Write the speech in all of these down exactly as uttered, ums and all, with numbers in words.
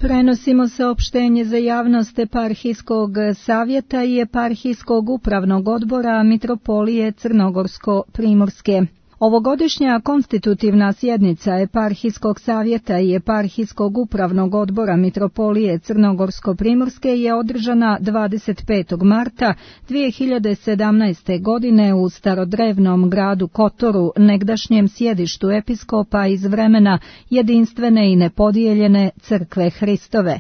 Prenosimo saopštenje za javnost Eparhijskog savjeta i Eparhijskog upravnog odbora Mitropolije Crnogorsko-Primorske. Ovogodišnja konstitutivna sjednica Eparhijskog savjeta i Eparhijskog upravnog odbora Mitropolije Crnogorsko-Primorske je održana dvadeset petog marta dvije hiljade sedamnaeste. godine u starodrevnom gradu Kotoru, negdašnjem sjedištu episkopa iz vremena jedinstvene i nepodijeljene crkve Hristove.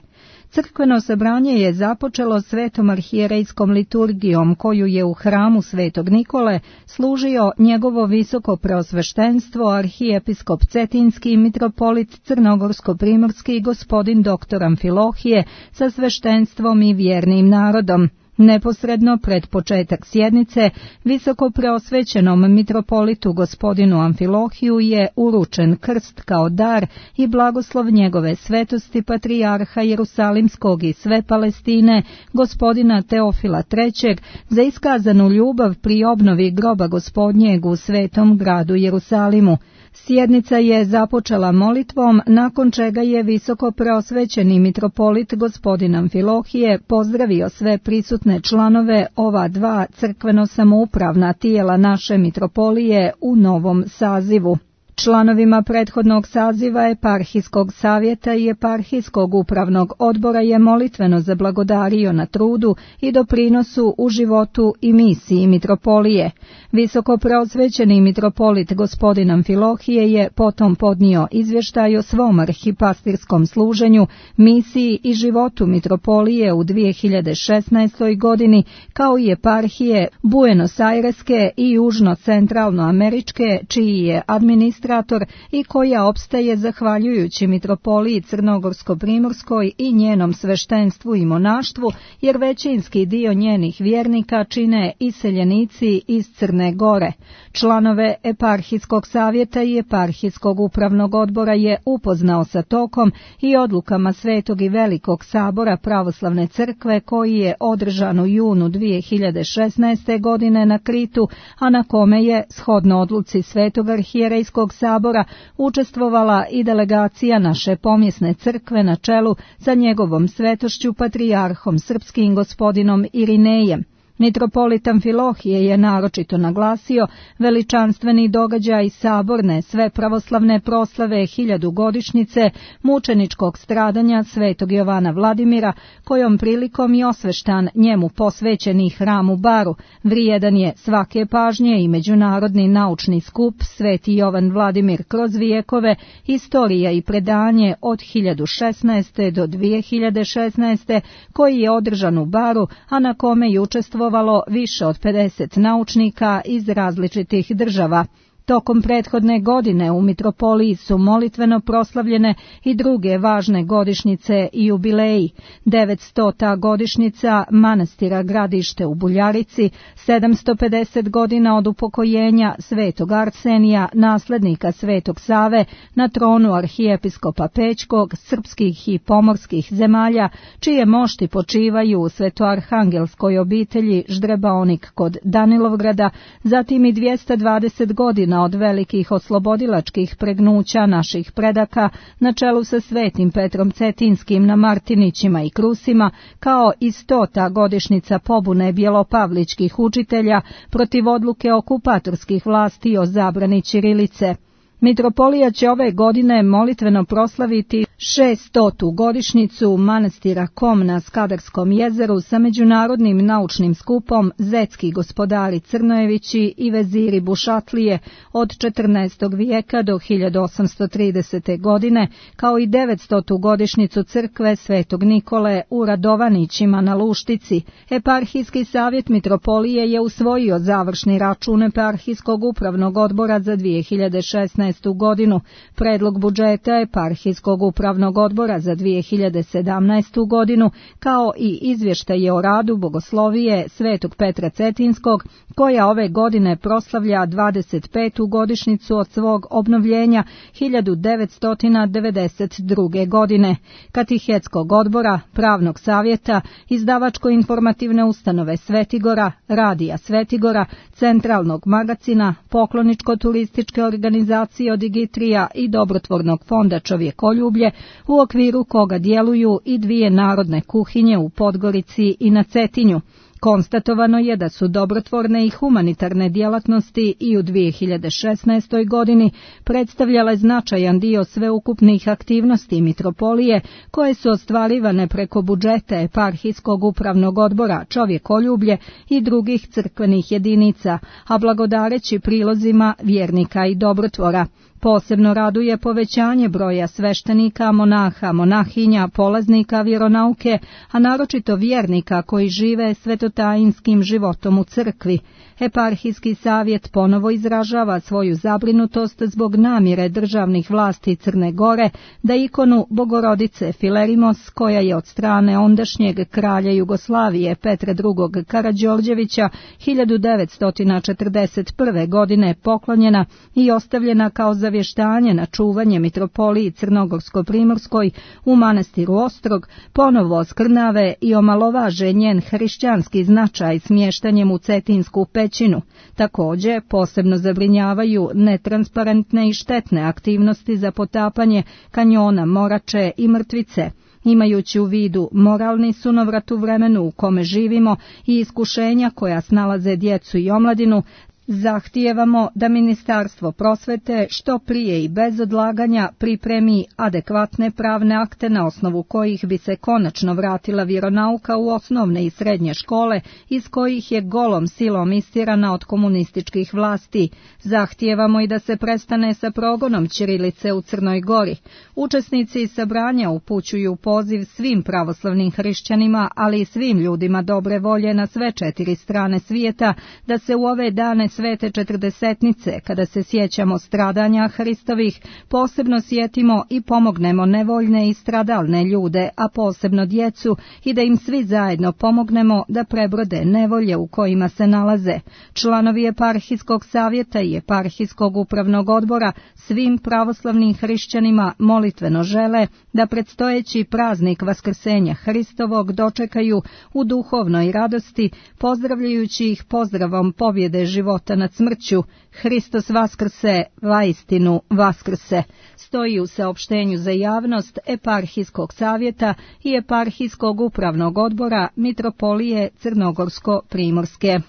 Crkveno sabranje je započelo svetom arhijerejskom liturgijom koju je u hramu Svetog Nikole služio njegovo visoko preosveštenstvo arhijepiskop Cetinski mitropolit Crnogorsko-Primorski gospodin doktor Amfilohije sa sveštenstvom i vjernim narodom. Neposredno pred početak sjednice, visoko preosvećenom mitropolitu gospodinu Amfilohiju je uručen krst kao dar i blagoslov njegove svetosti patrijarha Jerusalimskog i sve Palestine, gospodina Teofila trećeg, za iskazanu ljubav pri obnovi groba gospodnjeg u svetom gradu Jerusalimu. Sjednica je započela molitvom, nakon čega je visoko preosvećeni mitropolit gospodin Amfilohije pozdravio sve prisutne članove ova dva crkveno-samoupravna tijela naše mitropolije u novom sazivu. Članovima prethodnog saziva Eparhijskog savjeta i Eparhijskog upravnog odbora je molitveno zablagodario na trudu i doprinosu u životu i misiji mitropolije. Visoko preosvećeni mitropolit gospodin Amfilohije je potom podnio izvještaj o svom arhipastirskom služenju, misiji i životu mitropolije u dvije hiljade šesnaestoj. godini, kao i eparhije Buenos Aireske i južno-centralnoameričke, čiji je administrator i koja opstaje zahvaljujući mitropoliji Crnogorsko-Primorskoj i njenom sveštenstvu i monaštvu, jer većinski dio njenih vjernika čine iseljenici iz Crne Gore. Članove Eparhijskog savjeta i Eparhijskog upravnog odbora je upoznao sa tokom i odlukama Svetog i Velikog sabora Pravoslavne crkve koji je održan u junu dvije hiljade šesnaeste. godine na Kritu, a na kome je, shodno odluci Svetog arhijerejskog sabora, učestvovala i delegacija naše pomjesne crkve na čelu sa njegovom svetošću patrijarhom srpskim gospodinom Irinejem. Mitropolit Amfilohije je naročito naglasio veličanstveni događaj saborne sve pravoslavne proslave hiljadugodišnjice mučeničkog stradanja svetog Jovana Vladimira, kojom prilikom i osveštan njemu posvećeni hram u Baru, vrijedan je svake pažnje i međunarodni naučni skup Sveti Jovan Vladimir kroz vijekove, istorija i predanje od hiljadu šesnaeste. do dvije hiljade šesnaeste. koji je održan u Baru, a na kome je učestvovalo više od pedeset naučnika iz različitih država. Tokom prethodne godine u mitropoliji su molitveno proslavljene i druge važne godišnjice i jubileji. devetstota godišnjica manastira Gradište u Buljarici, sedamsto pedeset godina od upokojenja Svetog Arsenija, naslednika Svetog Save, na tronu arhijepiskopa Pećkog, srpskih i pomorskih zemalja, čije mošti počivaju u svetoarhangelskoj obitelji Ždrebaonik kod Danilovgrada, zatim i dvjesto dvadeset godina od velikih oslobodilačkih pregnuća naših predaka na čelu sa Svetim Petrom Cetinskim na Martinićima i Krusima, kao i stota godišnjica pobune bjelopavličkih učitelja protiv odluke okupatorskih vlasti o zabrani ćirilice. Mitropolija će ove godine molitveno proslaviti šestotu godišnjicu manastira Kom na Skadarskom jezeru sa međunarodnim naučnim skupom Zetski gospodari Crnojevići i veziri Bušatlije od četrnaestog vijeka do hiljadu osamsto tridesete. godine, kao i devetstotu godišnjicu crkve Svetog Nikole u Radovanićima na Luštici. Eparhijski savjet mitropolije je usvojio završni račun Eparhijskog upravnog odbora za dvije hiljade šesnaestu. godinu. Predlog budžeta Eparhijskog upravnog odbora za dvije hiljade sedamnaestu. godinu, kao i izvještaje o radu Bogoslovije Svetog Petra Cetinskog, koja ove godine proslavlja dvadeset petu godišnjicu od svog obnovljenja hiljadu devetsto devedeset druge. godine. Katehetskog odbora, pravnog savjeta, izdavačko-informativne ustanove Svetigora, radija Svetigora, centralnog magacina, pokloničko-turističke organizacije Crucio Digitrija i Dobrotvornog fonda Čovjekoljublje, u okviru koga djeluju i dvije narodne kuhinje u Podgorici i na Cetinju. Konstatovano je da su dobrotvorne i humanitarne djelatnosti i u dvije hiljade šesnaestoj. godini predstavljale značajan dio sveukupnih aktivnosti mitropolije koje su ostvarivane preko budžeta eparhijskog upravnog odbora Čovjekoljublje i drugih crkvenih jedinica, a blagodareći prilozima vjernika i dobrotvora. Posebno raduje povećanje broja sveštenika, monaha, monahinja, polaznika vjeronauke, a naročito vjernika koji žive svetotajinskim životom u crkvi. Eparhijski savjet ponovo izražava svoju zabrinutost zbog namjere državnih vlasti Crne Gore da ikonu Bogorodice Filerimos, koja je od strane ondašnjeg kralja Jugoslavije Petra drugog. Karađorđevića hiljadu devetsto četrdeset prve. godine poklonjena i ostavljena kao zavještanje na čuvanje mitropoliji Crnogorsko-Primorskoj u manastiru Ostrog, ponovo oskrnave i omalovaže njen hrišćanski značaj smještanjem u Cetinsku pećinu. Također, posebno zabrinjavaju netransparentne i štetne aktivnosti za potapanje kanjona Morače i Mrtvice. Imajući u vidu moralni sunovrat u vremenu u kome živimo i iskušenja koja snalaze djecu i omladinu, zahtijevamo da Ministarstvo prosvete što prije i bez odlaganja pripremi adekvatne pravne akte na osnovu kojih bi se konačno vratila vjeronauka u osnovne i srednje škole iz kojih je golom silom istirana od komunističkih vlasti. Zahtijevamo i da se prestane sa progonom ćirilice u Crnoj Gori. Učesnici sabranja upućuju poziv svim pravoslavnim hrišćanima, ali i svim ljudima dobre volje na sve četiri strane svijeta da se u ove dane Svete četrdesetnice, kada se sjećamo stradanja Hristovih, posebno sjetimo i pomognemo nevoljne i stradalne ljude, a posebno djecu, i da im svi zajedno pomognemo da prebrode nevolje u kojima se nalaze. Članovi eparhijskog savjeta i eparhijskog upravnog odbora svim pravoslavnim hrišćanima molitveno žele da predstojeći praznik Vaskrsenja Hristovog dočekaju u duhovnoj radosti, pozdravljajući ih pozdravom pobjede života nad smrću. Hristos vaskrse, vaistinu vaskrse, stoji u saopštenju za javnost eparhijskog savjeta i eparhijskog upravnog odbora mitropolije Crnogorsko-Primorske.